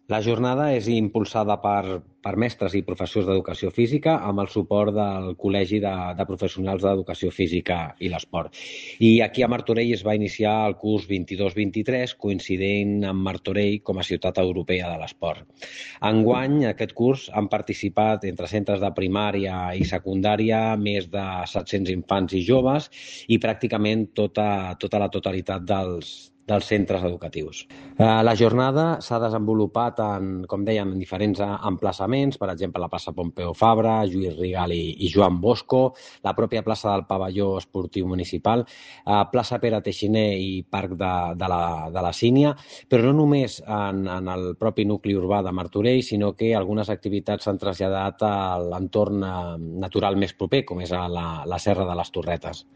La jornada és impulsada per mestres i professors d'educació física amb el suport del Col·legi de Professionals d'Educació Física i l'Esport. I aquí a Martorell es va iniciar el curs 22-23, coincidint amb Martorell com a ciutat europea de l'esport. Enguany, aquest curs han participat entre centres de primària i secundària més de 700 infants i joves i pràcticament tota la totalitat dels centres educatius. La jornada s'ha desenvolupat com dèiem, en diferents emplaçaments, per exemple, la plaça Pompeu Fabra, Lluís Rigal i Joan Bosco, la pròpia plaça del Pavelló Esportiu Municipal, plaça Pere Teixiner i Parc de la Sínia, però no només en el propi nucli urbà de Martorell, sinó que algunes activitats s'han traslladat a l'entorn natural més proper, com és la Serra de les Torretes.